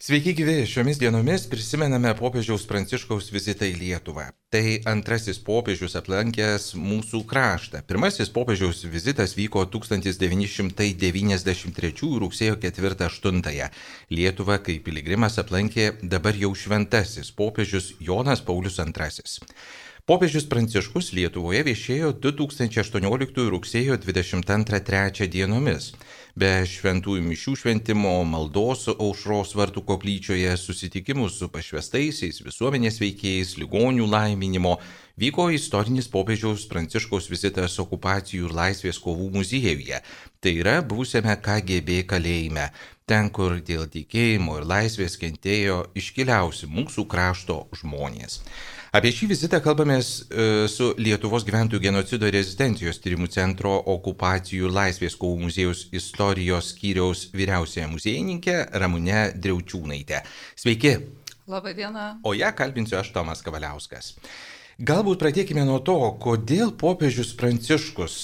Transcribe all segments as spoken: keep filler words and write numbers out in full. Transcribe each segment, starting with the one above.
Sveiki gyvi, šiomis dienomis prisimename popiežiaus Pranciškaus vizitą į Lietuvą. Tai antrasis popiežius aplankęs mūsų kraštą. Pirmasis popiežiaus vizitas vyko tūkstantis devyni šimtai devyniasdešimt trečiųjų rugsėjo ketvirtą aštuntąją. Lietuvą kaip piligrimas aplankė dabar jau šventasis popiežius Jonas Paulius antrasis. Popiežius Pranciškus Lietuvoje viešėjo du tūkstančiai aštuonioliktųjų rugsėjo dvidešimt antrą trečią dienomis. Be šventųjų mišių šventimo, maldos aušros vartų koplyčioje, susitikimų su pašvestaisiais, visuomenės veikėjais, ligonių laiminimo, vyko istorinis popiežiaus Pranciškaus vizitas okupacijų ir laisvės kovų muziejuje. Tai yra buvusiame K G B kalėjime, ten, kur dėl tikėjimo ir laisvės kentėjo iškiliausi mūsų krašto žmonės. Apie šį vizitą kalbamės su Lietuvos gyventojų genocido ir rezistencijos tyrimų centro okupacijų ir laisvės kovų muziejaus istorijos skyriaus vyriausiąja muziejininkė Ramune Driaučiūnaite. Sveiki. Labą dieną. O ją kalbinsiu aš, Tomas Kavaliauskas. Galbūt pradėkime nuo to, kodėl popiežius Pranciškus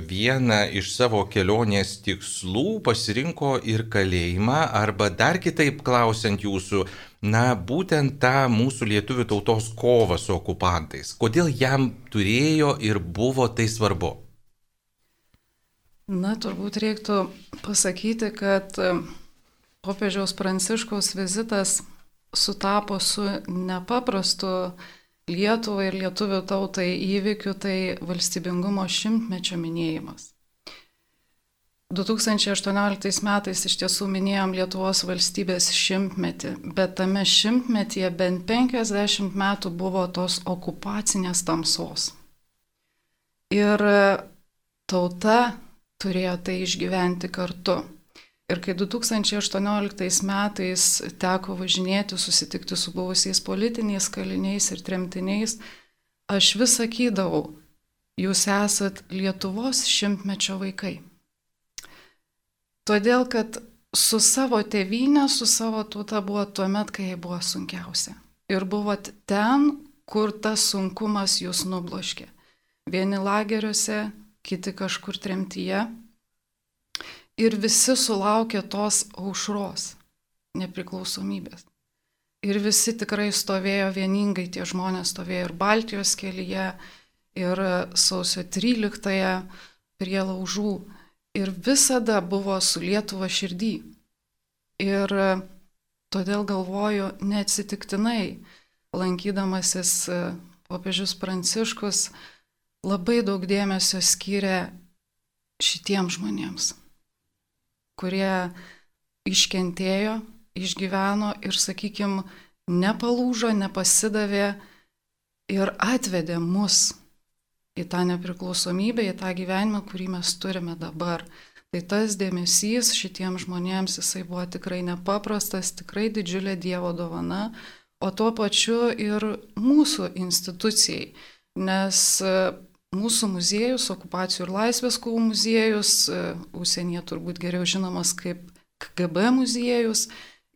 vieną iš savo kelionės tikslų pasirinko ir kalėjimą, arba dar kitaip klausiant jūsų, na, būtent tą mūsų lietuvių tautos kovą su okupantais. Kodėl jam turėjo ir buvo tai svarbu? Na, turbūt reiktų pasakyti, kad popiežiaus Pranciškaus vizitas sutapo su nepaprastu Lietuvai ir lietuvių tautai įvykiu, tai valstybingumo šimtmečio minėjimas. du tūkstančiai aštuonioliktais metais iš tiesų minėjom Lietuvos valstybės šimtmetį, bet tame šimtmetyje bent penkiasdešimt metų buvo tos okupacinės tamsos. Ir tauta turėjo tai išgyventi kartu. Ir kai du tūkstančiai aštuonioliktais metais teko važinėti, susitikti su buvusiais politiniais kaliniais ir tremtiniais, aš vis sakydavau, jūs esat Lietuvos šimtmečio vaikai. Todėl, kad su savo tėvynė, su savo tauta buvo tuomet, kai jai buvo sunkiausia. Ir buvot ten, kur tas sunkumas jūs nubloškė. Vieni lageriuose, kiti kažkur tremtyje. Ir visi sulaukė tos aušros, nepriklausomybės. Ir visi tikrai stovėjo vieningai, tie žmonės stovėjo ir Baltijos kelyje, ir sausio tryliktąją prie laužų. Ir visada buvo su Lietuva širdį. Ir todėl galvoju, neatsitiktinai, lankydamasis popiežius Pranciškus, labai daug dėmesio skyrė šitiems žmonėms, kurie iškentėjo, išgyveno ir, sakykime, nepalūžo, nepasidavė ir atvedė mus į tą nepriklausomybę, į tą gyvenimą, kurį mes turime dabar. Tai tas dėmesys šitiems žmonėms, jisai buvo tikrai nepaprastas, tikrai didžiulė Dievo dovana, o tuo pačiu ir mūsų institucijai, nes mūsų muziejus, okupacijų ir laisvės kovų muziejus, užsienyje turbūt geriau žinomas kaip K G B muziejus,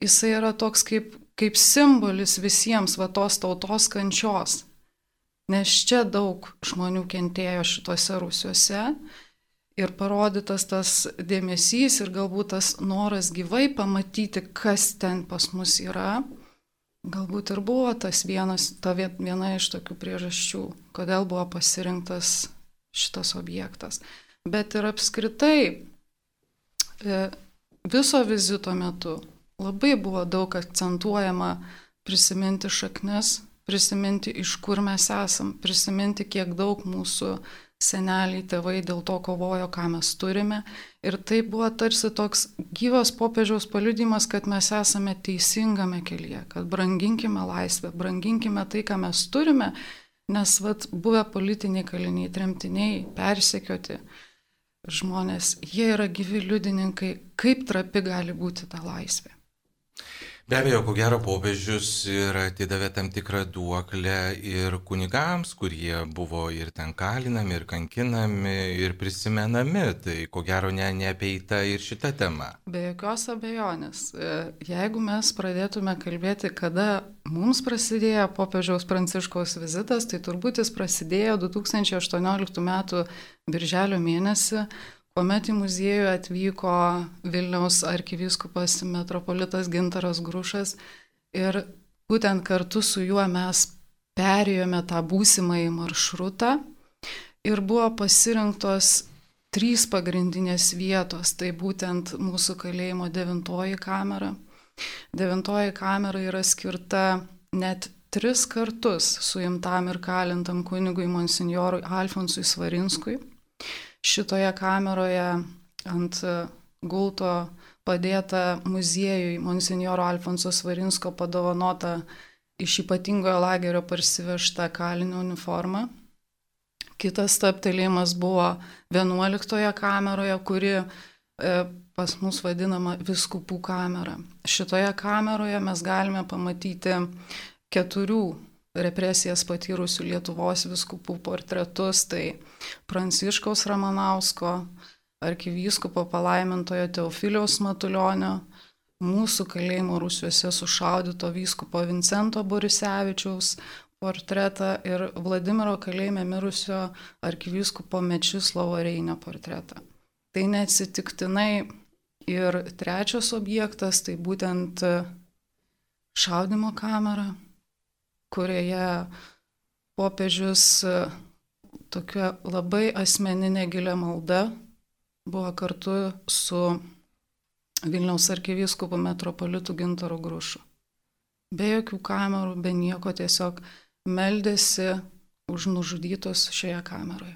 jisai yra toks kaip, kaip simbolis visiems va tos tautos kančios. Nes čia daug žmonių kentėjo šituose rūsiuose ir parodytas tas dėmesys ir galbūt tas noras gyvai pamatyti, kas ten pas mus yra, galbūt ir buvo tas vienas, ta viena iš tokių priežasčių, kodėl buvo pasirinktas šitas objektas. Bet ir apskritai viso vizito metu labai buvo daug akcentuojama prisiminti šaknis, prisiminti, iš kur mes esam, prisiminti, kiek daug mūsų seneliai, tėvai dėl to kovojo, ką mes turime. Ir tai buvo tarsi toks gyvas popiežiaus paliudijimas, kad mes esame teisingame kelyje, kad branginkime laisvę, branginkime tai, ką mes turime, nes vat, buvę politiniai kaliniai, tremtiniai, persekioti žmonės, jie yra gyvi liudininkai, kaip trapi gali būti ta laisvė. Be abejo, ko gero popiežius ir atidavė tam tikrą duoklę ir kunigams, kurie buvo ir ten kalinami, ir kankinami, ir prisimenami. Tai ko gero ne, neapeita ir šita tema. Be jokios abejonės. Jeigu mes pradėtume kalbėti, kada mums prasidėjo popiežiaus Pranciškaus vizitas, tai turbūt jis prasidėjo du tūkstančiai aštuonioliktų metų birželio mėnesį, kuomet į muziejų atvyko Vilniaus arkivyskupas metropolitas Gintaras Grušas ir būtent kartu su juo mes perėjome tą būsimąjį maršrutą ir buvo pasirinktos trys pagrindinės vietos, tai būtent mūsų kalėjimo devintoji kamera. Devintoji kamera yra skirta net tris kartus suimtam ir kalintam kunigui monsinjorui Alfonsui Svarinskui. Šitoje kameroje ant gulto padėta muziejui monsinjoro Alfonso Svarinsko padovanota iš ypatingojo lagerio parsivežta kalinio uniforma. Kitas stabtelėjimas buvo vienuoliktoje kameroje, kuri e, pas mus vadinama vyskupų kamera. Šitoje kameroje mes galime pamatyti keturių represijas patyrusių Lietuvos vyskupų portretus, tai Pranciškaus Ramanausko, arkivyskupo palaimintojo Teofiliaus Matulionio, mūsų kalėjimo rūsiuose sušaudyto vyskupo Vincento Borisevičiaus portretą ir Vladimiro kalėjime mirusio arkivyskupo Mečislovo Reinio portretą. Tai neatsitiktinai ir trečias objektas, tai būtent šaudymo kamera, kurioje popiežius tokia labai asmeninė gilia malda buvo kartu su Vilniaus arkivyskupu metropolitu Gintaru Grušu. Be jokių kamerų, be nieko, tiesiog meldėsi už nužudytus šioje kameroje.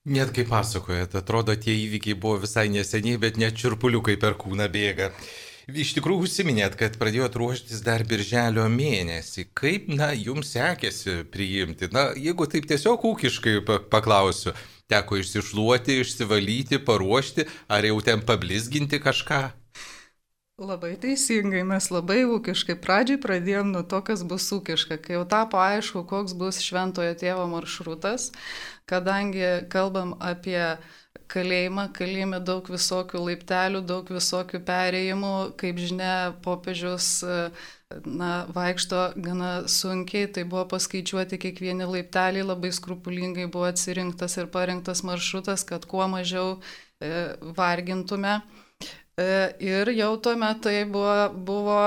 Net kaip pasakojat, atrodo, tie įvykiai buvo visai neseniai, bet net čirpuliukai per kūną bėga. Iš tikrųjų užsiminėt, kad pradėjot ruoštis dar birželio mėnesį. Kaip, na, jums sekėsi priimti? Na, jeigu taip tiesiog ūkiškai paklausiu, teko išsišluoti, išsivalyti, paruošti, ar jau ten pablizginti kažką? Labai teisingai, mes labai ūkiškai. Pradžiai pradėjom nuo to, kas bus ūkiška. Kai jau tapo aišku, koks bus šventojo tėvo maršrutas, kadangi kalbam apie kalėjimą, kalėjime daug visokių laiptelių, daug visokių perėjimų, kaip žinia, popiežius na, vaikšto gana sunkiai, tai buvo paskaičiuoti kiekvieni laipteliai, labai skrupulingai buvo atsirinktas ir parinktas maršrutas, kad kuo mažiau e, vargintume. Ir jau tuomet tai buvo, buvo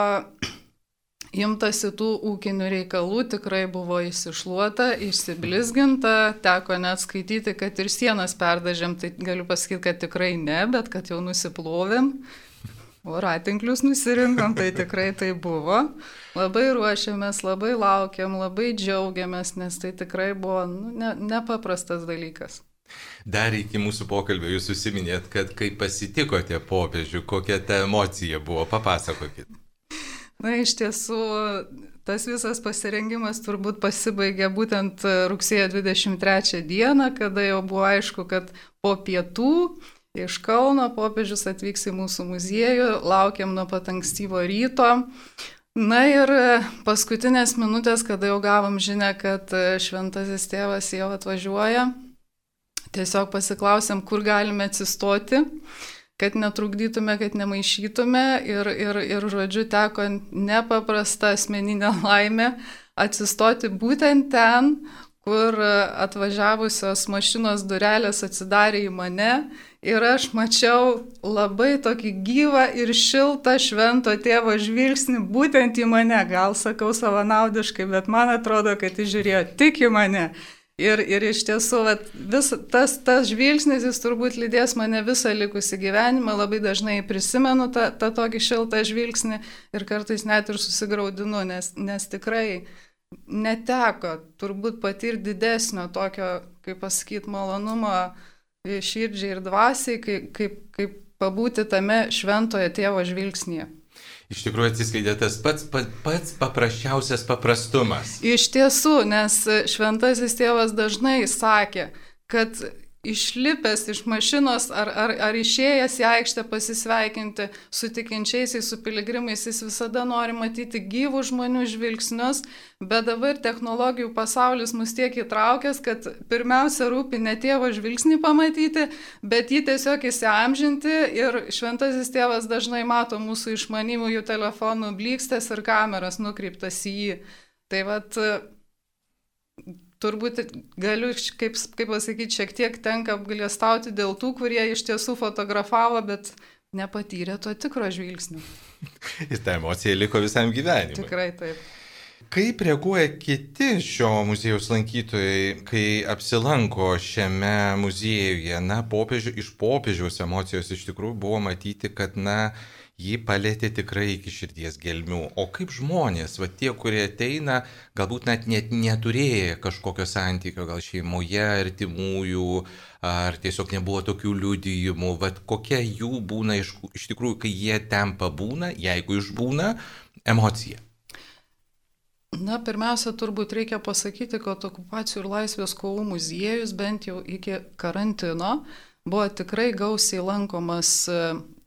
imtasi tų ūkinių reikalų, tikrai buvo įsišluota, išsiblizginta, teko net skaityti, kad ir sienas perdažėm, tai galiu pasakyti, kad tikrai ne, bet kad jau nusiplovėm, o ratinklius nusirinkom, tai tikrai tai buvo. Labai ruošiamės, labai laukiam, labai džiaugiamės, nes tai tikrai buvo nu, ne, nepaprastas dalykas. Dar iki mūsų pokalbio jūs užsiminėt, kad kai pasitikote popiežių, kokia ta emocija buvo, papasakokit. Na, iš tiesų, tas visas pasirengimas turbūt pasibaigė būtent rugsėjo dvidešimt trečią dieną, kada jau buvo aišku, kad po pietų iš Kauno popiežius atvyks į mūsų muziejų, laukiam nuo pat ankstyvo ryto. Na ir paskutinės minutės, kada jau gavom žinią, kad šventasis tėvas jau atvažiuoja, tiesiog pasiklausėm, kur galime atsistoti, kad netrukdytume, kad nemaišytume ir, ir, ir žodžiu, teko nepaprasta asmeninė laimė atsistoti būtent ten, kur atvažiavusios mašinos durelės atsidarė į mane ir aš mačiau labai tokį gyvą ir šiltą švento tėvo žvilgsnį būtent į mane. Gal sakau savanaudiškai, bet man atrodo, kad jis žiūrėjo tik į mane. Ir, ir iš tiesų, vat, vis, tas, tas žvilgsnis, jis turbūt lydės mane visą likusį gyvenimą, labai dažnai prisimenu tą, tą tokį šiltą žvilgsnį ir kartais net ir susigraudinu, nes, nes tikrai neteko turbūt patirti didesnio tokio, kaip pasakyti, malonumo širdžiai ir dvasiai, kaip, kaip, kaip pabūti tame šventojo tėvo žvilgsnyje. Iš tikrųjų atsiskleidė tas pats, pats, pats paprasčiausias paprastumas. Iš tiesų, nes šventasis tėvas dažnai sakė, kad išlipęs iš mašinos ar, ar, ar išėjęs į aikštę pasisveikinti su tikinčiaisiais, su piligrimais, jis visada nori matyti gyvų žmonių žvilgsnius, bet dabar technologijų pasaulis mus tiek įtraukęs, kad pirmiausia rūpi ne tėvo žvilgsnį pamatyti, bet jį tiesiog įsiamžinti ir šventasis tėvas dažnai mato mūsų išmanimųjų telefonų blykstės ir kameras nukreiptas į jį. Tai vat turbūt galiu, kaip, kaip pasakyti, šiek tiek tenka apgailestauti dėl tų, kurie iš tiesų fotografavo, bet nepatyrė to tikro žvilgsnio. Ir ta emocija liko visam gyvenimui. Tikrai taip. Kaip reaguoja kiti šio muziejaus lankytojai, kai apsilanko šiame muziejuje? Na, popiežių, iš popiežiaus emocijos iš tikrųjų buvo matyti, kad, na, jį palėtė tikrai iki širdies gelmių. O kaip žmonės, va tie, kurie ateina, galbūt net, net neturėję kažkokio santykio, gal šeimoje, artimųjų, ar tiesiog nebuvo tokių liudijimų, va kokia jų būna iš, iš tikrųjų, kai jie ten pabūna, jeigu išbūna, emocija? Na, pirmiausia, turbūt reikia pasakyti, kad okupacijų ir laisvės kovų muziejus bent jau iki karantino buvo tikrai gausiai lankomas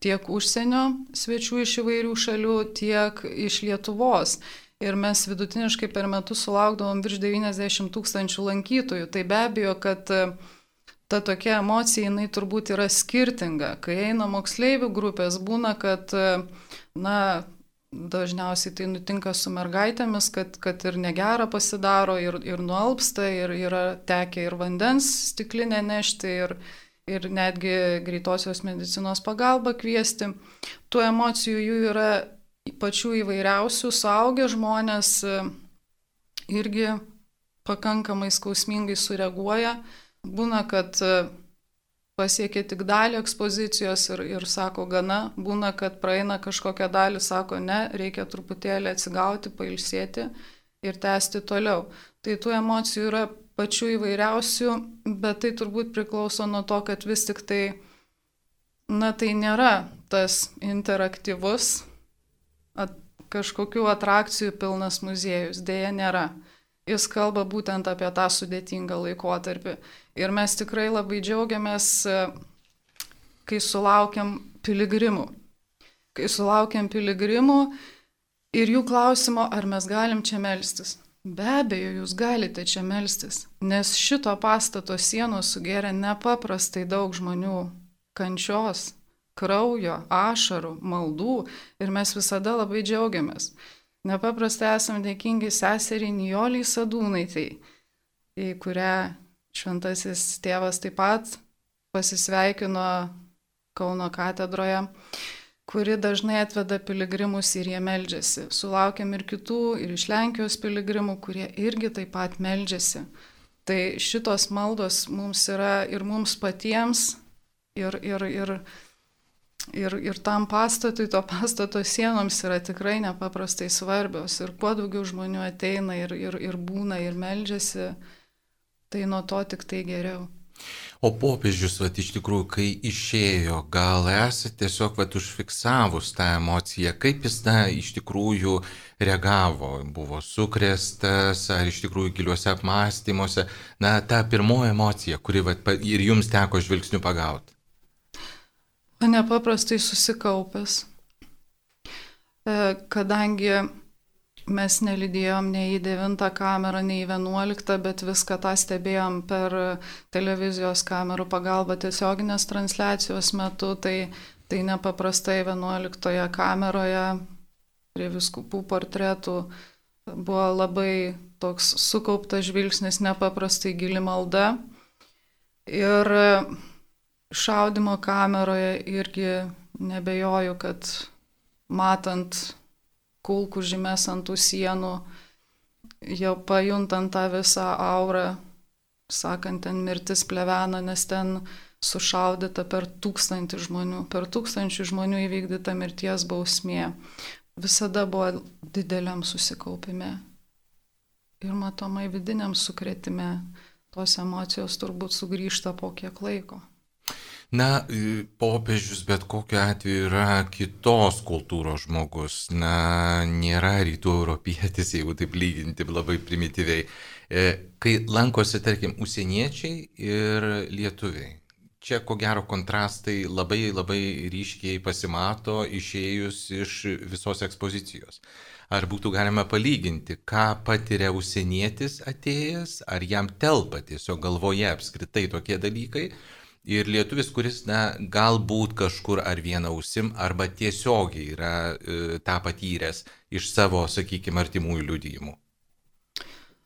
tiek užsienio svečių iš įvairių šalių, tiek iš Lietuvos. Ir mes vidutiniškai per metus sulaukdavom virš devyniasdešimt tūkstančių lankytojų. Tai be abejo, kad ta tokia emocija, jinai turbūt yra skirtinga. Kai eina moksleivių grupės, būna, kad, na, dažniausiai tai nutinka su mergaitėmis, kad, kad ir negera pasidaro, ir, ir nualpsta, ir yra tekę ir vandens stiklinę nešti, ir, ir netgi greitosios medicinos pagalbą kviesti. Tų emocijų jų yra pačių įvairiausių, suaugę žmonės irgi pakankamai skausmingai sureaguoja. Būna, kad pasiekia tik dalį ekspozicijos ir, ir sako gana, būna, kad praeina kažkokią dalį, sako ne, reikia truputėlį atsigauti, pailsėti ir tęsti toliau. Tai tų emocijų yra pačių įvairiausių, bet tai turbūt priklauso nuo to, kad vis tik tai, na, tai nėra tas interaktyvus, at, kažkokių atrakcijų pilnas muziejus, dėja nėra. Jis kalba būtent apie tą sudėtingą laikotarpį. Ir mes tikrai labai džiaugiamės, kai sulaukiam piligrimų. Kai sulaukiam piligrimų ir jų klausimo, ar mes galim čia melstis. Be abejo, jūs galite čia melstis, nes šito pastato sienos sugėrė nepaprastai daug žmonių kančios, kraujo, ašarų, maldų ir mes visada labai džiaugiamės. Nepaprastai esam dėkingi seseriai Nijoliai Sadūnaitei, į kurią šventasis tėvas taip pat pasisveikino Kauno katedroje, kuri dažnai atveda piligrimus ir jie meldžiasi. Sulaukiam ir kitų, ir iš Lenkijos piligrimų, kurie irgi taip pat meldžiasi. Tai šitos maldos mums yra ir mums patiems, ir, ir, ir Ir, ir tam pastatui, to pastato sienoms yra tikrai nepaprastai svarbios. Ir kuo daugiau žmonių ateina ir, ir, ir būna ir meldžiasi, tai nuo to tik tai geriau. O popiežius, vat, iš tikrųjų, kai išėjo, gal esate tiesiog vat, užfiksavus tą emociją, kaip jis, na, iš tikrųjų reagavo, buvo sukrėstas, ar iš tikrųjų giliuose apmąstymuose, na, ta pirmoji emocija, kuri vat, ir jums teko žvilgsniu pagauti. Nepaprastai susikaupęs, kadangi mes nelydėjom nei į devintą kamerą, nei į vienuoliktą, bet viską tą stebėjom per televizijos kamerų pagalbą tiesioginės transliacijos metu, tai, tai nepaprastai vienuoliktoje kameroje prie vyskupų portretų buvo labai toks sukauptas žvilgsnis, nepaprastai gili malda. Ir šaudimo kameroje irgi nebejoju, kad matant kulkų žymes ant tų sienų, jau pajuntant tą visą aurą, sakant, ten mirtis plevena, nes ten sušaudyta per tūkstantį žmonių, per tūkstančių žmonių įvykdyta mirties bausmė. Visada buvo dideliam susikaupime ir matomai vidiniam sukrėtime. Tos emocijos turbūt sugrįžta po kiek laiko. Na, popiežius bet kokiu atveju yra kitos kultūros žmogus, na, nėra rytų europietis, jeigu taip lyginti labai primityviai. Kai lankosi, tarkim, užsieniečiai ir lietuviai, čia ko gero kontrastai labai labai ryškiai pasimato išėjus iš visos ekspozicijos. Ar būtų galima palyginti, ką patiria užsienietis atėjęs, ar jam telpa tiesiog galvoje apskritai tokie dalykai, ir lietuvis, kuris, na, galbūt kažkur ar vieną ausim, arba tiesiogiai yra e, tą patyręs iš savo, sakykime, artimųjų liudijimų?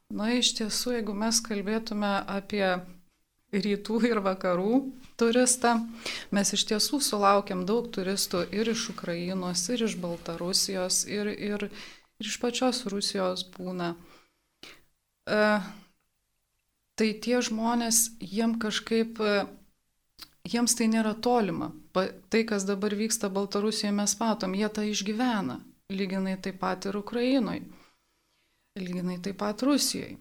Na, iš tiesų, jeigu mes kalbėtume apie rytų ir vakarų turistą, mes iš tiesų sulaukiam daug turistų ir iš Ukrainos, ir iš Baltarusijos, ir, ir, ir iš pačios Rusijos būna. E, tai tie žmonės, jiem kažkaip, jiems tai nėra tolima. Pa, tai, kas dabar vyksta Baltarusijoje, mes matom, jie tą išgyvena. Lyginai taip pat ir Ukrainoje. Lyginai taip pat Rusijoje.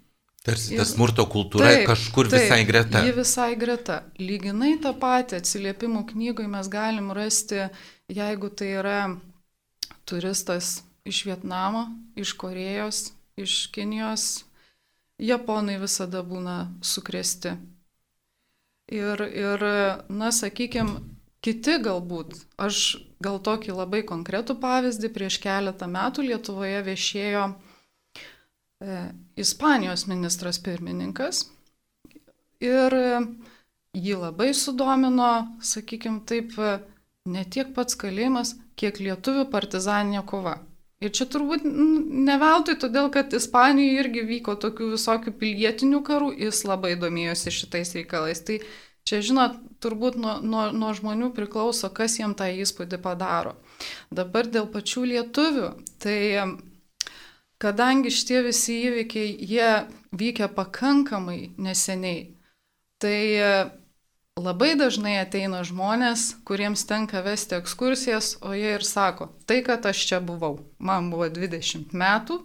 Tarsi ta smurto kultūra taip, kažkur taip, visai greta. Ji visai greta. Lyginai tą patį atsiliepimų knygoje mes galim rasti, jeigu tai yra turistas iš Vietnamo, iš Korėjos, iš Kinijos, japonai visada būna sukrėsti. Ir, ir na, sakykime, kiti galbūt, aš gal tokį labai konkretų pavyzdį, prieš keletą metų Lietuvoje viešėjo Ispanijos ministras pirmininkas ir jį labai sudomino, sakykime taip, ne tiek pats kalėjimas, kiek lietuvių partizaninė kova. Ir čia turbūt ne veltui, todėl kad Ispanijoje irgi vyko tokių visokių pilietinių karų, jis labai domėjosi šitais reikalais. Tai čia, žinot, turbūt nuo, nuo, nuo žmonių priklauso, kas jiem tą įspūdį padaro. Dabar dėl pačių lietuvių, tai kadangi šitie visi įvykiai, jie vykia pakankamai neseniai, tai labai dažnai ateina žmonės, kuriems tenka vesti ekskursijas, o jie ir sako, tai kad aš čia buvau, man buvo dvidešimt metų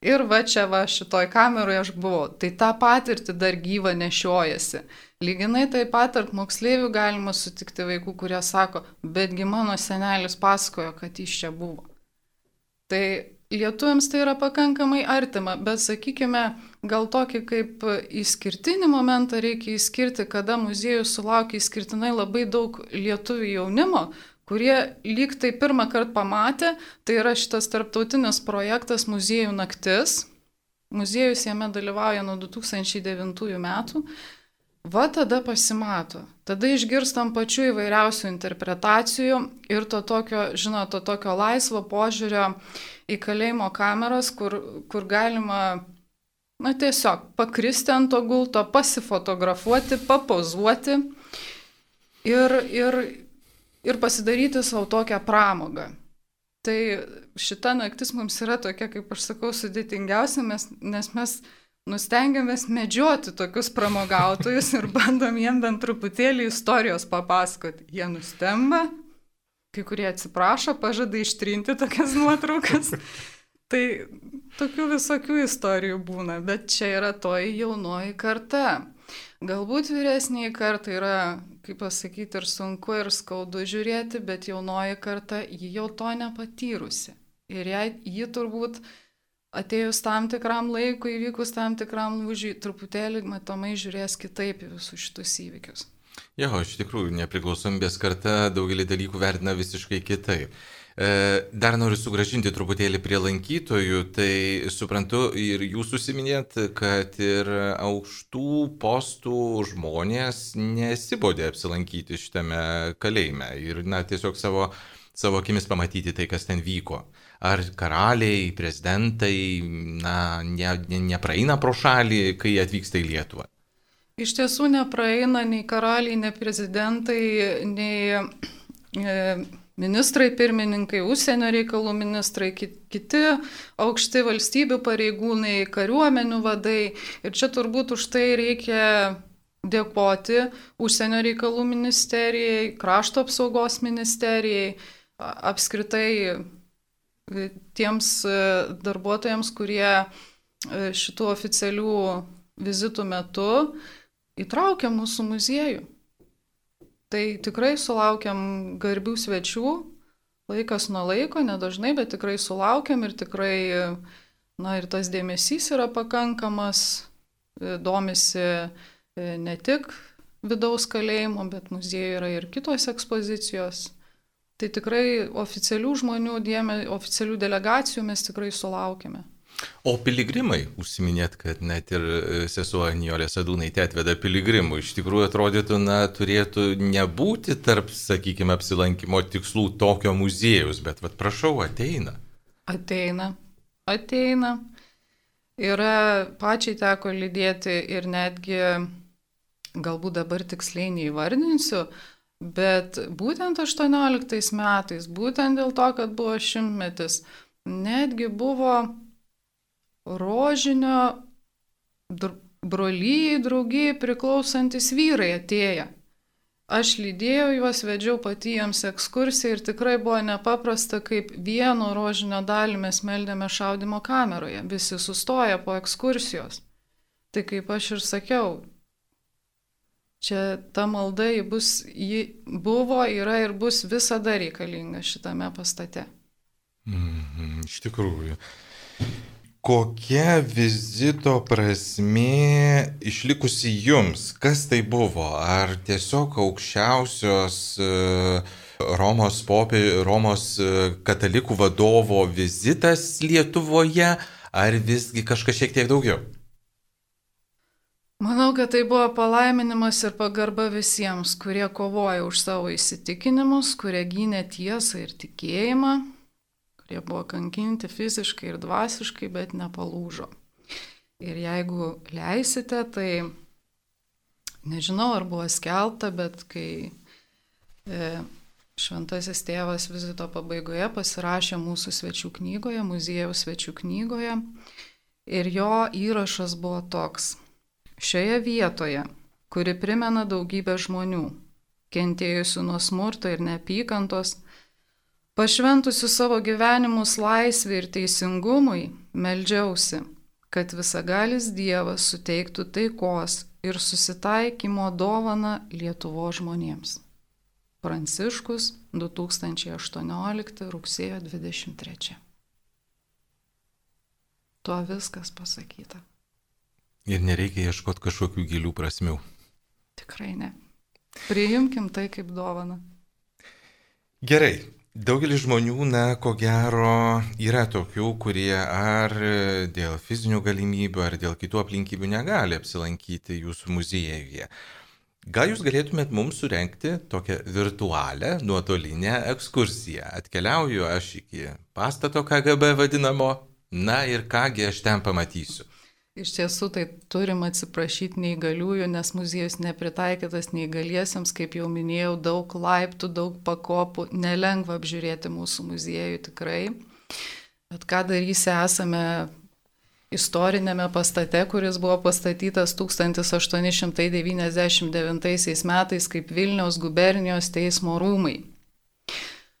ir va čia va šitoj kameroje aš buvau, tai tą patirtį dar gyvą nešiojasi. Lyginai taip pat tarp moksleivių galima sutikti vaikų, kurie sako, betgi mano senelis pasakojo, kad jis čia buvo. Tai lietuviams tai yra pakankamai artima, bet sakykime, gal tokį kaip išskirtinį momentą reikia išskirti, kada muziejus sulaukia išskirtinai labai daug lietuvių jaunimo, kurie lyg tai pirmą kartą pamatė, tai yra šitas tarptautinis projektas Muziejų naktis. Muziejus jame dalyvauja nuo du tūkstančiai devintųjų metų. Va tada pasimato. Tada išgirstam pačių įvairiausių interpretacijų ir to tokio, žinot, to tokio laisvo požiūrio į kalėjimo kameras, kur, kur galima, na tiesiog, pakristi ant to gulto, pasifotografuoti, papozuoti ir, ir, ir pasidaryti savo tokią pramogą. Tai šita naktis mums yra tokia, kaip aš sakau, sudėtingiausia, nes mes nustengiamės medžioti tokius pramogautojus ir bandom jiem bent truputėlį istorijos papasakoti. Jie nustemba, kai kurie atsiprašo, pažada ištrinti tokias nuotraukas. Tai tokių visokių istorijų būna, bet čia yra toji jaunoji karta. Galbūt vyresniai kartai yra, kaip pasakyti, ir sunku, ir skaudu žiūrėti, bet jaunoji karta, ji jau to nepatyrusi. Ir jai, ji turbūt atėjus tam tikram laikui, įvykus tam tikram lūžiui, truputėlį matomai žiūrės kitaip į visus šitus įvykius. Jo, iš tikrųjų, nepriklausomybės karta daugelį dalykų vertina visiškai kitaip. Dar noriu sugrąžinti truputėlį prie lankytojų, tai suprantu ir jūs užsiminėt, kad ir aukštų postų žmonės nesibodė apsilankyti šitame kalėjime ir na, tiesiog savo, savo akimis pamatyti tai, kas ten vyko. Ar karaliai, prezidentai na, ne, ne, nepraeina pro šalį, kai atvyksta į Lietuvą? Iš tiesų nepraeina nei karaliai, nei prezidentai, nei e, ministrai, pirmininkai, užsienio reikalų ministrai, kiti aukšti valstybių pareigūnai, kariuomenių vadai. Ir čia turbūt už tai reikia dėkoti užsienio reikalų ministerijai, krašto apsaugos ministerijai, apskritai tiems darbuotojams, kurie šitų oficialių vizitų metu įtraukia mūsų muziejų. Tai tikrai sulaukiam garbių svečių, laikas nuo laiko, nedažnai, bet tikrai sulaukiam ir tikrai, na ir tas dėmesys yra pakankamas, domisi ne tik vidaus kalėjimo, bet muziejuje yra ir kitos ekspozicijos. Tai tikrai oficialių žmonių, dėme, oficialių delegacijų mes tikrai sulaukiame. O piligrimai, užsiminėt, kad net ir sesuo Nijolė Sadūnaitė atveda piligrimų, iš tikrųjų atrodytų, na, turėtų nebūti tarp, sakykime, apsilankimo tikslų tokio muziejus, bet, vat, prašau, ateina. Ateina, ateina. Yra, pačiai teko lydėti ir netgi, galbūt dabar tiksliai neįvardinsiu, bet būtent aštuonioliktais metais, būtent dėl to, kad buvo šimtmetis, netgi buvo rožinio brolyjai, draugijai priklausantis vyrai atėję. Aš lydėjau juos, vedžiau pati jiems ekskursiją ir tikrai buvo nepaprasta, kaip vieno rožinio dalį mes meldėme šaudimo kameroje. Visi sustoja po ekskursijos. Tai kaip aš ir sakiau, čia ta malda ji bus, ji buvo, yra ir bus visada reikalinga šitame pastate. Mm, iš tikrųjų. Kokia vizito prasmė išlikusi jums? Kas tai buvo? Ar tiesiog aukščiausios Romos, popė, Romos katalikų vadovo vizitas Lietuvoje, ar visgi kažkas šiek tiek daugiau? Manau, kad tai buvo palaiminimas ir pagarba visiems, kurie kovoja už savo įsitikinimus, kurie gynė tiesą ir tikėjimą. Jie buvo kankinti fiziškai ir dvasiškai, bet nepalūžo. Ir jeigu leisite, tai nežinau, ar buvo skelbta, bet kai e, šventasis tėvas vizito pabaigoje pasirašė mūsų svečių knygoje, muziejaus svečių knygoje, ir jo įrašas buvo toks: šioje vietoje, kuri primena daugybę žmonių, kentėjusių nuo smurto ir neapykantos, pašventusių savo gyvenimus laisvei ir teisingumui, meldžiausi, kad visagalis Dievas suteiktų taikos ir susitaikymo dovaną Lietuvos žmonėms. Pranciškus, du tūkstančiai aštuoniolikti rugsėjo dvidešimt trečia. Tuo viskas pasakyta. Ir nereikia ieškoti kažkokių gilių prasmių. Tikrai ne. Priimkim tai kaip dovaną. Gerai. Daugelis žmonių, na, ko gero, yra tokių, kurie ar dėl fizinių galimybių, ar dėl kitų aplinkybių negali apsilankyti jūsų muziejuje. Gal jūs galėtumėt mums surenkti tokią virtualią, nuotolinę ekskursiją? Atkeliauju aš iki pastato K G B vadinamo, na ir kągi aš ten pamatysiu. Iš tiesų, tai turim atsiprašyti neįgaliųjų, nes muziejus nepritaikytas neįgaliesiems, kaip jau minėjau, daug laiptų, daug pakopų, nelengva apžiūrėti mūsų muziejų tikrai. Bet ką darysi, esame istorinėme pastate, kuris buvo pastatytas tūkstantis aštuoni šimtai devyniasdešimt devintaisiais metais kaip Vilniaus gubernijos teismo rūmai.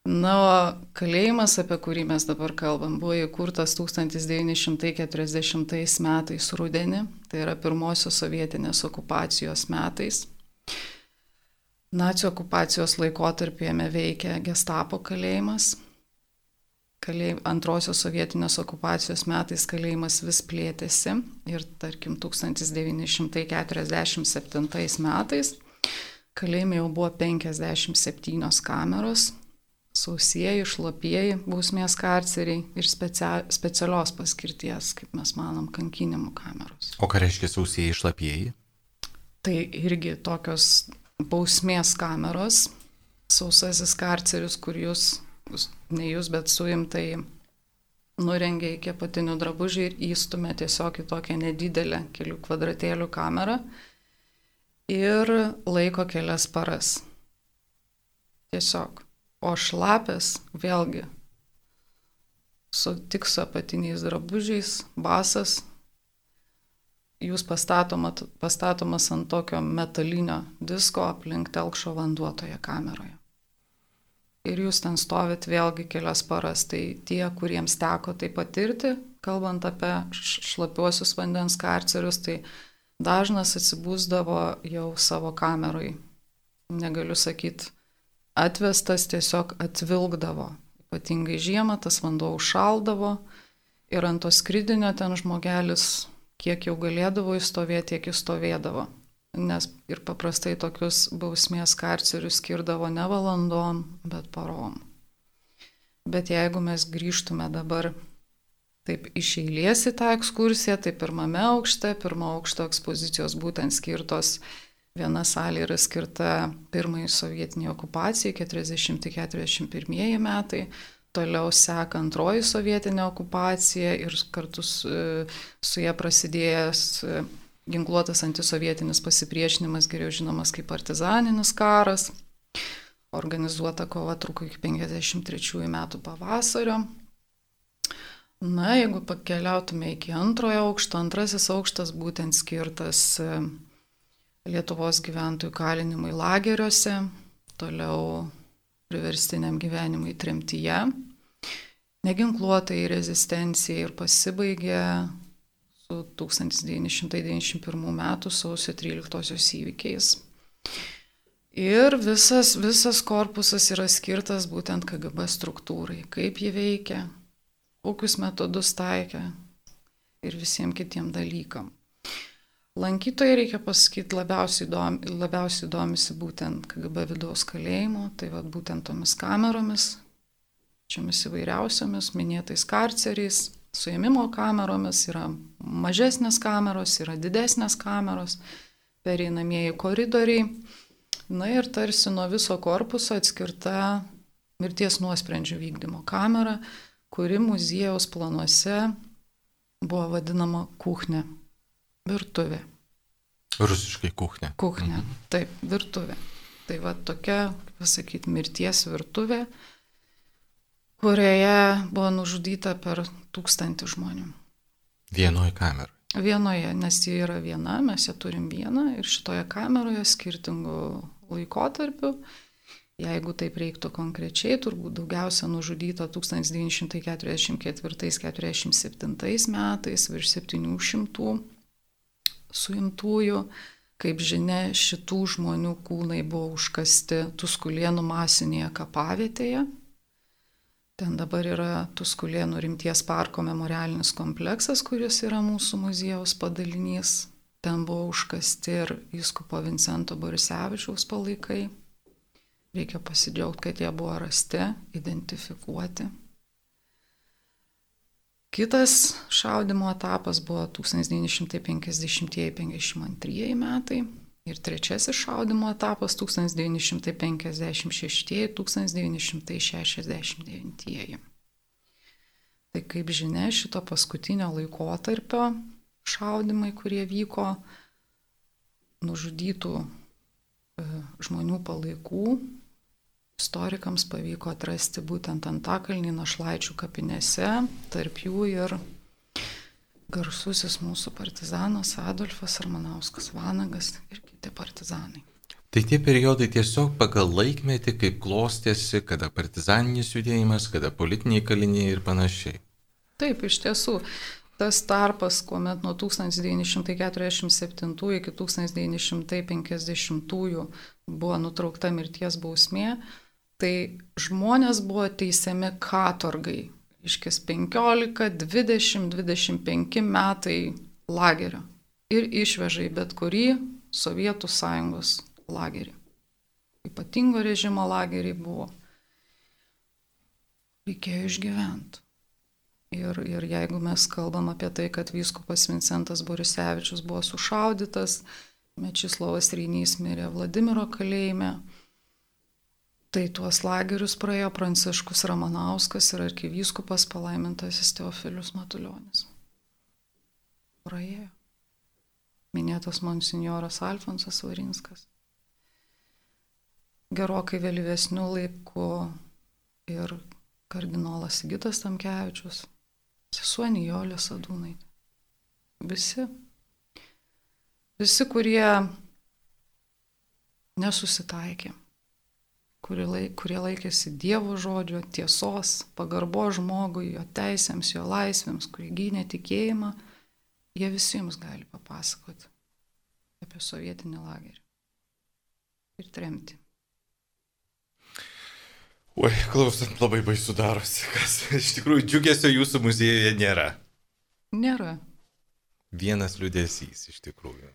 Na, o kalėjimas, apie kurį mes dabar kalbam, buvo įkurtas tūkstantis devyni šimtai keturiasdešimtais metais rudenį, tai yra pirmosios sovietinės okupacijos metais. Nacių okupacijos laikotarpį jame veikia Gestapo kalėjimas. Kalėj... Antrosios sovietinės okupacijos metais kalėjimas vis plėtėsi ir, tarkim, tūkstantis devyni šimtai keturiasdešimt septintais metais kalėjime jau buvo penkiasdešimt septynios kameros. Sausieji, šlapieji bausmės karceriai ir specia, specialios paskirties, kaip mes manom, kankinimų kameros. O ką reiškia sausieji, šlapieji? Tai irgi tokios bausmės kameros, sausasis karceris, kur jūs, ne jūs, bet suimtai nurengia iki apatinių drabužių ir įstumia tiesiog į tokią nedidelę kelių kvadratėlių kamerą ir laiko kelias paras. Tiesiog. O šlapės, vėlgi, su, tik su apatiniais drabužiais, basas, jūs pastatomat, pastatomas ant tokio metalinio disko aplink telkšo vanduo toje kameroje. Ir jūs ten stovit vėlgi kelias paras. Tai tie, kuriems teko tai patirti, kalbant apie šlapiuosius vandens karcerius, tai dažnas atsibūsdavo jau savo kameroj. Negaliu sakyti, atvestas, tiesiog atvilkdavo. Ypatingai žiemą tas vanduo užšaldavo ir ant to skridinio ten žmogelis, kiek jau galėdavo įstovėti, tiek įstovėdavo. Nes ir paprastai tokius bausmės karcerius skirdavo ne valandom, bet parom. Bet jeigu mes grįžtume dabar taip iš eilės į tą ekskursiją, tai pirmame aukšte, pirmo aukšto ekspozicijos būtent skirtos. Viena salė yra skirta pirmai sovietiniai okupacijai, keturiasdešimti keturiasdešimt pirmieji metai. toliau seka antroji sovietinė okupacija ir kartu su, su ją prasidėjęs ginkluotas antisovietinis pasipriešinimas, geriau žinomas kaip partizaninis karas. Organizuota kova truko iki penkiasdešimt trečiųjų metų pavasario. Na, jeigu pakeliautume iki antrojo aukšto, antrasis aukštas būtent skirtas Lietuvos gyventojų kalinimui lageriuose, toliau priverstiniam gyvenimui tremtyje, neginkluotai rezistencijai ir pasibaigė su tūkstantis devyni šimtai devyniasdešimt pirmų metų sausio tryliktosios įvykiais. Ir visas, visas korpusas yra skirtas būtent K G B struktūrai, kaip ji veikia, kokius metodus taikė ir visiems kitiem dalykam. Lankytojai, reikia pasakyti, labiausiai, dom, labiausiai domisi būtent K G B vidaus kalėjimo, tai va būtent tomis kameromis, čiomis įvairiausiomis, minėtais karceriais, suėmimo kameromis, yra mažesnės kameros, yra didesnės kameros, pereinamieji koridoriai. Na ir tarsi nuo viso korpuso atskirta mirties nuosprendžio vykdymo kamera, kuri muziejaus planuose buvo vadinama kuchne. Virtuvė. Rusiškai kuchne. Kuchne, mhm. Taip, virtuvė. Tai va tokia, pasakyti, mirties virtuvė, kurioje buvo nužudyta per tūkstantį žmonių. Vienoje kameroje. Vienoje, nes ji yra viena, mes ją turim vieną ir šitoje kameroje skirtingų laikotarpių. Jeigu taip reiktų konkrečiai, turbūt daugiausia nužudyta tūkstantis devyni šimtai keturiasdešimt ketvirtais keturiasdešimt septintais metais, virš septynių šimtų suimtųjų. Kaip žinia, šitų žmonių kūnai buvo užkasti Tuskulėnų masinėje kapavietėje. Ten dabar yra Tuskulėnų rimties parko memorialinis kompleksas, kuris yra mūsų muziejaus padalinys. Ten buvo užkasti ir vyskupo Vincento Borisevičiaus palaikai. Reikia pasidžiaugti, kad jie buvo rasti, identifikuoti. Kitas šaudimo etapas buvo tūkstantis devyni šimtai penkiasdešimtieji penkiasdešimt antrieji metai ir trečiasis šaudimo etapas tūkstantis devyni šimtai penkiasdešimt šeštieji tūkstantis devyni šimtai šešiasdešimt devintieji. Tai kaip žinia, šito paskutinio laikotarpio šaudimai, kurie vyko, nužudytų žmonių palaikų, istorikams pavyko atrasti būtent Antakalny Našlaičių kapinėse, tarp jų ir garsusis mūsų partizanas Adolfas Ramanauskas Vanagas ir kiti partizanai. Tai tie periodai tiesiog pagal laikmetį, kaip klostėsi, kada partizaninis judėjimas, kada politiniai kaliniai ir panašiai. Taip, iš tiesų. Tas tarpas, kuomet nuo tūkstantis devyni šimtai keturiasdešimt septintųjų iki tūkstantis devyni šimtai penkiasdešimtųjų buvo nutraukta mirties bausmė, tai žmonės buvo teisiami katorgai. Iškės penkiolika, dvidešimt, dvidešimt penki metai lagerio ir išveža į bet kurį Sovietų sąjungos lagerį. Ypatingo režimo lageriai buvo. Reikėjo išgyventi. Ir, ir jeigu mes kalbam apie tai, kad vyskupas Vincentas Borisevičius buvo sušaudytas, Mečislovas Reinys mirė Vladimiro kalėjime, tai tuos lagerius praėjo Pranciškus Ramanauskas ir arkivyskupas palaimintasis Teofilius Matulionis. Praėjo. Minėtas monsinjoras Alfonsas Varinskas. Gerokai vėlyvesnių laikų ir kardinolas Sigitas Tamkevičius, sesuo Nijolė Sadūnaitė. Visi. Visi, kurie nesusitaikė, kurie, laik, kurie laikėsi Dievo žodžio, tiesos, pagarbo žmogui, jo teisėms, jo laisvėms, kurie gynė tikėjimą, jie visiems gali papasakoti apie sovietinį lagerį ir tremtį. Oi, klausant, labai baisu darosi, kas iš tikrųjų džiugesio jūsų muziejuje nėra. Nėra. Vienas liūdesys iš tikrųjų.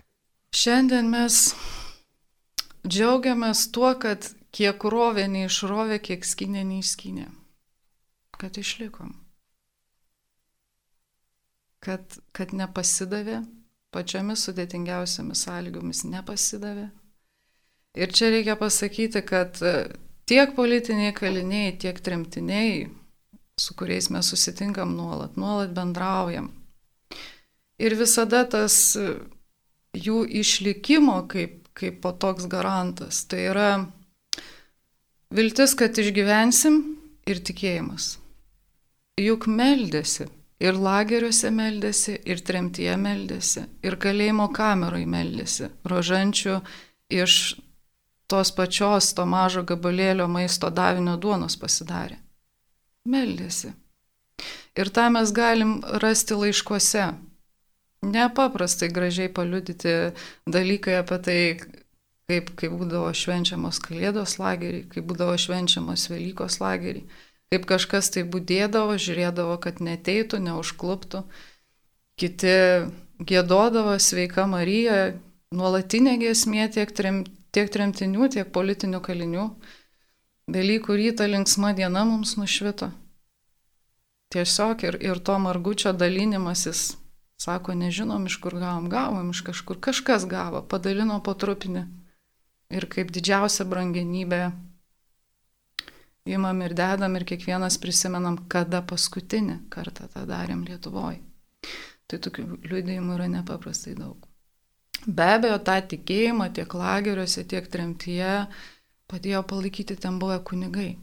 Šiandien mes džiaugiamės tuo, kad kiek rovė neišrovė, kiek skynė neišskynė. Kad išlikom. Kad, kad nepasidavė, pačiomis sudėtingiausiamis sąlygomis nepasidavė. Ir čia reikia pasakyti, kad tiek politiniai kaliniai, tiek tremtiniai su kuriais mes susitinkam nuolat, nuolat bendraujam. Ir visada tas jų išlikimo kaip, kaip po toks garantas, tai yra viltis, kad išgyvensim ir tikėjimas. Juk meldėsi, ir lageriuose meldėsi, ir tremtyje meldėsi, ir kalėjimo kameroj meldėsi, rožančių iš tos pačios to mažo gabalėlio maisto davinio duonos pasidarė. Meldėsi. Ir tą mes galim rasti laiškuose. Nepaprastai gražiai paliudyti dalykai apie tai, kaip, kaip būdavo švenčiamos Kalėdos lageriai, kaip būdavo švenčiamos Velykos lageriai, kaip kažkas tai būdėdavo, žiūrėdavo, kad neteitų, neužkluptų. Kiti giedodavo Sveika Marija, nuolatinė giesmė tiek, trem, tiek tremtinių, tiek politinių kalinių. Velykų rytą linksma diena mums nušvito. Tiesiog ir, ir to margučio dalinimasis, sako, nežinom, iš kur gavom, gavom iš kažkur, kažkas gavo, padalino po trupinį. Ir kaip didžiausia brangenybė imam ir dedam ir kiekvienas prisimenam, kada paskutinį kartą tą darėm Lietuvoje. Tai tokių liudijimų yra nepaprastai daug. Be abejo, tą tikėjimą tiek lageriuose, tiek tremtyje padėjo palaikyti ten buvę kunigai.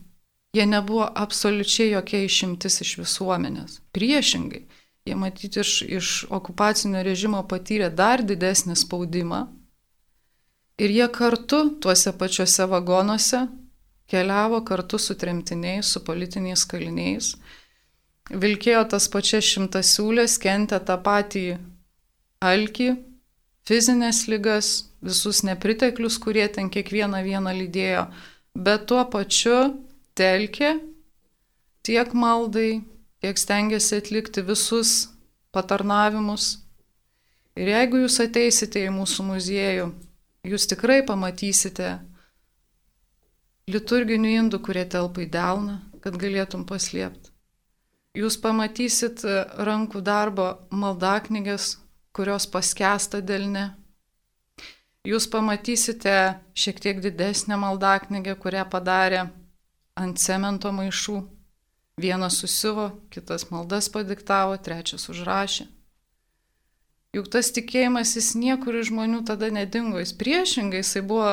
Jie nebuvo absoliučiai jokia išimtis iš visuomenės. Priešingai, jie matyti iš, iš okupacinio režimo patyrė dar didesnį spaudimą ir jie kartu tuose pačiuose vagonuose keliavo kartu su tremtiniais, su politiniais kaliniais, vilkėjo tas pačias šimtasiūlės, kentė tą patį alkį, fizinės ligas, visus nepriteklius, kurie ten kiekvieną vieną lydėjo, bet tuo pačiu telkė tiek maldai, tiek stengiasi atlikti visus patarnavimus. Ir jeigu jūs ateisite į mūsų muziejų, jūs tikrai pamatysite liturginių indų, kurie telpa į delną, kad galėtum paslėpti. Jūs pamatysit rankų darbo maldaknygės, kurios paskęsta delne. Jūs pamatysite šiek tiek didesnę maldaknygę, kurią padarė ant cemento maišų. Vienas susiuvo, kitas maldas padiktavo, trečias užrašė. Juk tas tikėjimas jis niekur iš žmonių tada nedingo, jis priešingai, jisai buvo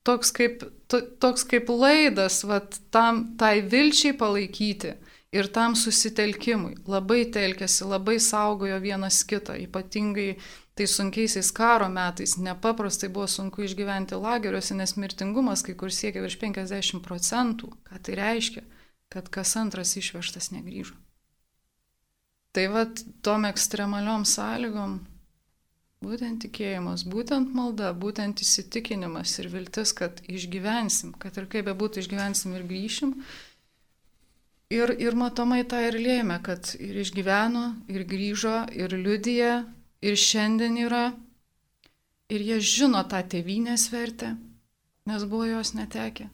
toks kaip, to, toks kaip laidas, vat, tam, tai vilčiai palaikyti ir tam susitelkimui. Labai telkėsi, labai saugojo vienas kitą, ypatingai tai sunkiaisiais karo metais nepaprastai buvo sunku išgyventi lageriuose, nes mirtingumas kai kur siekia virš penkiasdešimt procentų. Ką tai reiškia? Kad kas antras išvežtas negrįžo. Tai vat tom ekstremaliom sąlygom būtent tikėjimas, būtent malda, būtent įsitikinimas ir viltis, kad išgyvensim, kad ir kaip bebūtų išgyvensim ir grįšim. Ir, ir matomai tą ir lėmė, kad ir išgyveno, ir grįžo, ir liudija, ir šiandien yra, ir jie žino tą tėvynės vertę, nes buvo jos netekę.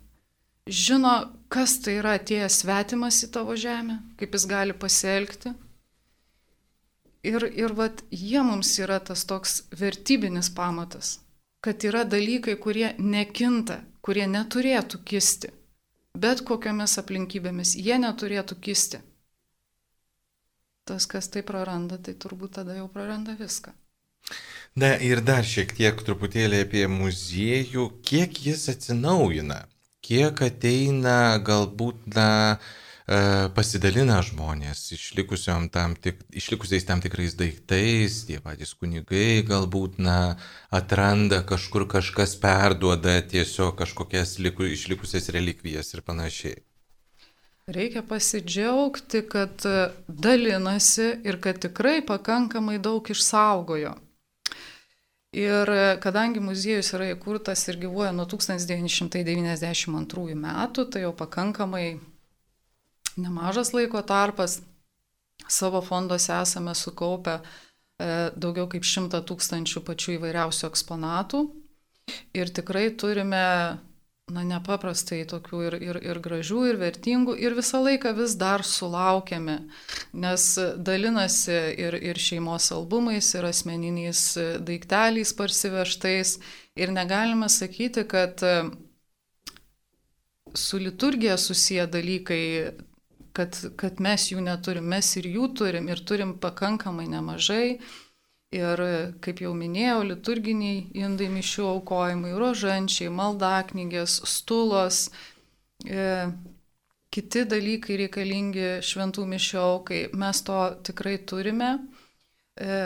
Žino, kas tai yra atėjęs svetimas į tavo žemę, kaip jis gali pasielgti. Ir, ir vat, jie mums yra tas toks vertybinis pamatas, kad yra dalykai, kurie nekinta, kurie neturėtų kisti, bet kokiomis aplinkybėmis jie neturėtų kisti. Tas, kas tai praranda, tai turbūt tada jau praranda viską. Na ir dar šiek tiek truputėlį apie muziejų, kiek jis atsinaujina, kiek ateina galbūt na, pasidalina žmonės tam tik, išlikusiais tam tikrais daiktais, tie patys kunigai galbūt na, atranda kažkur kažkas perduoda tiesiog kažkokias liku, išlikusias relikvijas ir panašiai. Reikia pasidžiaugti, kad dalinasi ir kad tikrai pakankamai daug išsaugojo. Ir kadangi muziejus yra įkurtas ir gyvuoja nuo tūkstantis devyni šimtai devyniasdešimt antrųjų metų, tai jau pakankamai nemažas laiko tarpas, savo fonduose esame sukaupę daugiau kaip šimtą tūkstančių pačių įvairiausių eksponatų ir tikrai turime na, nepaprastai tokių ir, ir, ir gražių, ir vertingų, ir visą laiką vis dar sulaukiame, nes dalinasi ir, ir šeimos albumais, ir asmeniniais daikteliais parsivežtais, ir negalime sakyti, kad su liturgija susiję dalykai kad, kad mes jų neturim, mes ir jų turim, ir turim pakankamai nemažai. Ir, kaip jau minėjau, liturginiai indai mišių aukojimai, rožančiai, maldaknygės, stulos, e, kiti dalykai reikalingi šventų mišių aukai. Mes to tikrai turime. E,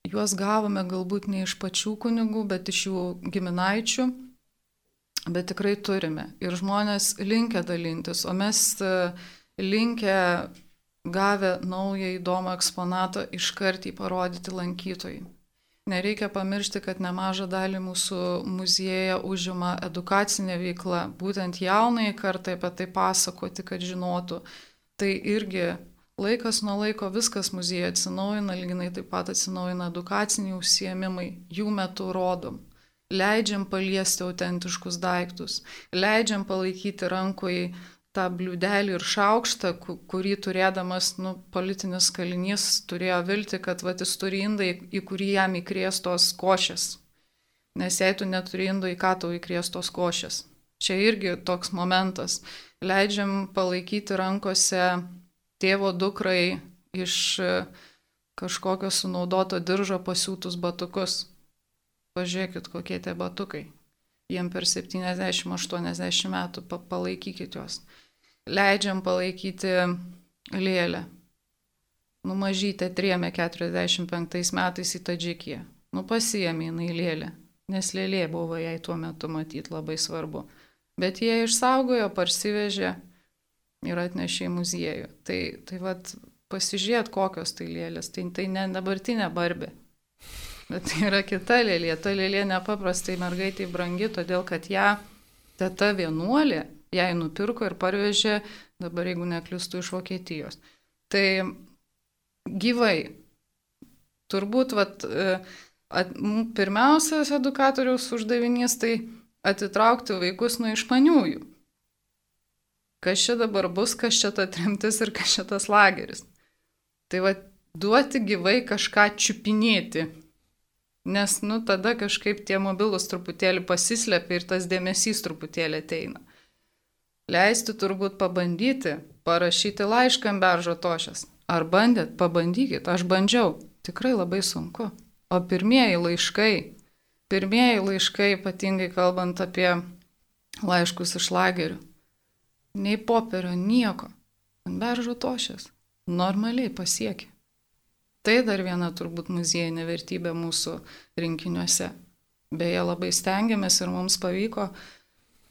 juos gavome galbūt ne iš pačių kunigų, bet iš jų giminaičių. Bet tikrai turime. Ir žmonės linkę dalintis, o mes linkę gavę naują įdomų eksponatą iškart jį parodyti lankytojai. Nereikia pamiršti, kad nemažą dalį mūsų muziejuje užima edukacinė veikla, būtent jaunai kartai apie tai pasakoti, kad žinotų. Tai irgi laikas nuo laiko viskas muziejuje atsinaujina, lyginai taip pat atsinaujina edukaciniai užsiėmimai, jų metu rodom. Leidžiam paliesti autentiškus daiktus, leidžiam palaikyti rankoje tą bliūdelį ir šaukštą, kurį turėdamas nu, politinis kalinys turėjo vilti, kad vat, jis turi indą, į kurį jam įkrės tos košės. Nes jei tu neturi indo, į ką tau įkrės tos košės. Čia irgi toks momentas. Leidžiam palaikyti rankose tėvo dukrai iš kažkokio sunaudoto diržo pasiūtus batukus. Pažiūrėkit, kokie tie batukai. Jiem per septyniasdešimt aštuoniasdešimt metų, palaikykit juos. Leidžiam palaikyti lėlę. Nu, mažytė trėmė keturiasdešimt penktais metais į Tadžikiją. Nu, pasiėmė jinai lėlę, nes lėlė buvo jai tuo metu matyti labai svarbu. Bet jie išsaugojo, parsivežė ir atnešė į muziejų. Tai, tai vat, pasižiūrėt, kokios tai lėlės. Tai, tai ne dabartinė Barbė. Bet tai yra kita lėlė. Ta lėlė nepaprastai mergaitai brangi, todėl kad ją teta vienuolė jai nupirko ir parvežė, dabar jeigu neklystu, iš Vokietijos. Tai gyvai. Turbūt vat, at, pirmiausias edukatoriaus uždavinys tai atitraukti vaikus nuo išmaniųjų. Kas čia dabar bus, kas čia ta tremtis ir kas čia tas lageris. Tai vat, duoti gyvai kažką čiupinėti. Nes, nu, tada kažkaip tie mobilus truputėlį pasislepia ir tas dėmesys truputėlį ateina. Leisti turbūt pabandyti, parašyti laišką ant beržo tošės. Ar bandėt? Pabandykit. Aš bandžiau. Tikrai labai sunku. O pirmieji laiškai, pirmieji laiškai, ypatingai kalbant apie laiškus iš lagerių, nei popierio, nieko. Ant beržo tošės. Normaliai pasiekia. Tai dar viena turbūt muziejinė vertybė mūsų rinkiniuose. Beje, labai stengiamės ir mums pavyko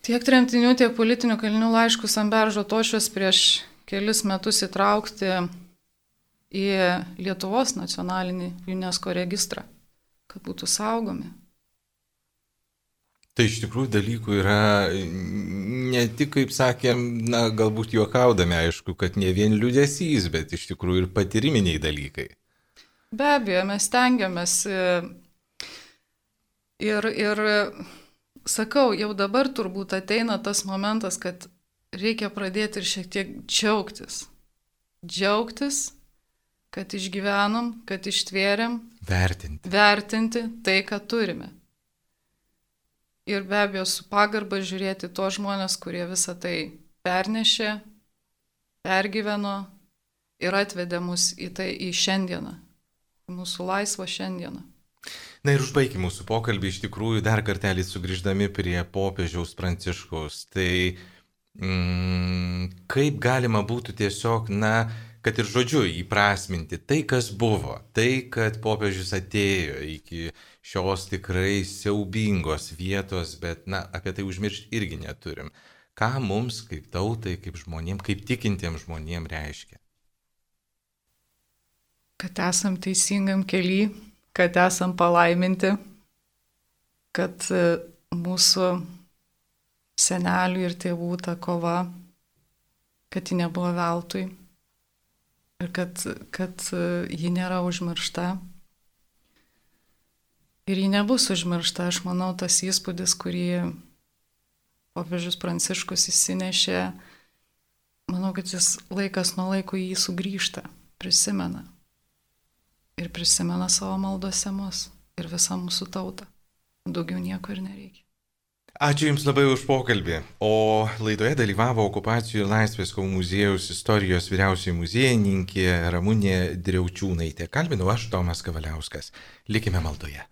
tiek tremtinių, tiek politinių kalinių laiškus ant beržo tošės prieš kelis metus įtraukti į Lietuvos nacionalinį UNESCO registrą, kad būtų saugomi. Tai iš tikrųjų dalykų yra ne tik, kaip sakėm, na, galbūt juokaudami, aišku, kad ne vien liūdesys, bet iš tikrųjų ir patyriminiai dalykai. Be abejo, mes stengiamės ir, ir sakau, jau dabar turbūt ateina tas momentas, kad reikia pradėti ir šiek tiek džiaugtis. Džiaugtis, kad išgyvenom, kad ištvėrėm. Vertinti. Vertinti tai, ką turime. Ir be abejo, su pagarba žiūrėti tos žmonės, kurie visą tai pernešė, pergyveno ir atvedė mus į tai į šiandieną. Mūsų laisvą šiandieną. Na ir užbaigime mūsų pokalbį iš tikrųjų dar kartelį sugrįždami prie popiežiaus Pranciškaus. Tai mm, kaip galima būtų tiesiog, na, kad ir žodžiu įprasminti tai, kas buvo, tai, kad popiežius atėjo iki šios tikrai siaubingos vietos, bet, na, apie tai užmiršti irgi neturim. Ką mums kaip tautai, kaip žmonėm, kaip tikintiems žmonėm reiškia? Kad esam teisingam kely, kad esam palaiminti, kad mūsų senelių ir tėvų ta kova, kad ji nebuvo veltui ir kad, kad ji nėra užmiršta. Ir ji nebus užmiršta, aš manau, tas įspūdis, kurį popiežius Pranciškus įsinešė, manau, kad jis laikas nuo laiko jį sugrįžta, prisimena. Ir prisimena savo maldose mus ir visą mūsų tautą. Daugiau nieko ir nereikia. Ačiū Jums labai už pokalbį. O laidoje dalyvavo Okupacijų ir Laisvės kovų muziejaus istorijos vyriausioji muziejininkė Ramunė Driaučiūnaitė. Kalbinau aš, Tomas Kavaliauskas. Likime maldoje.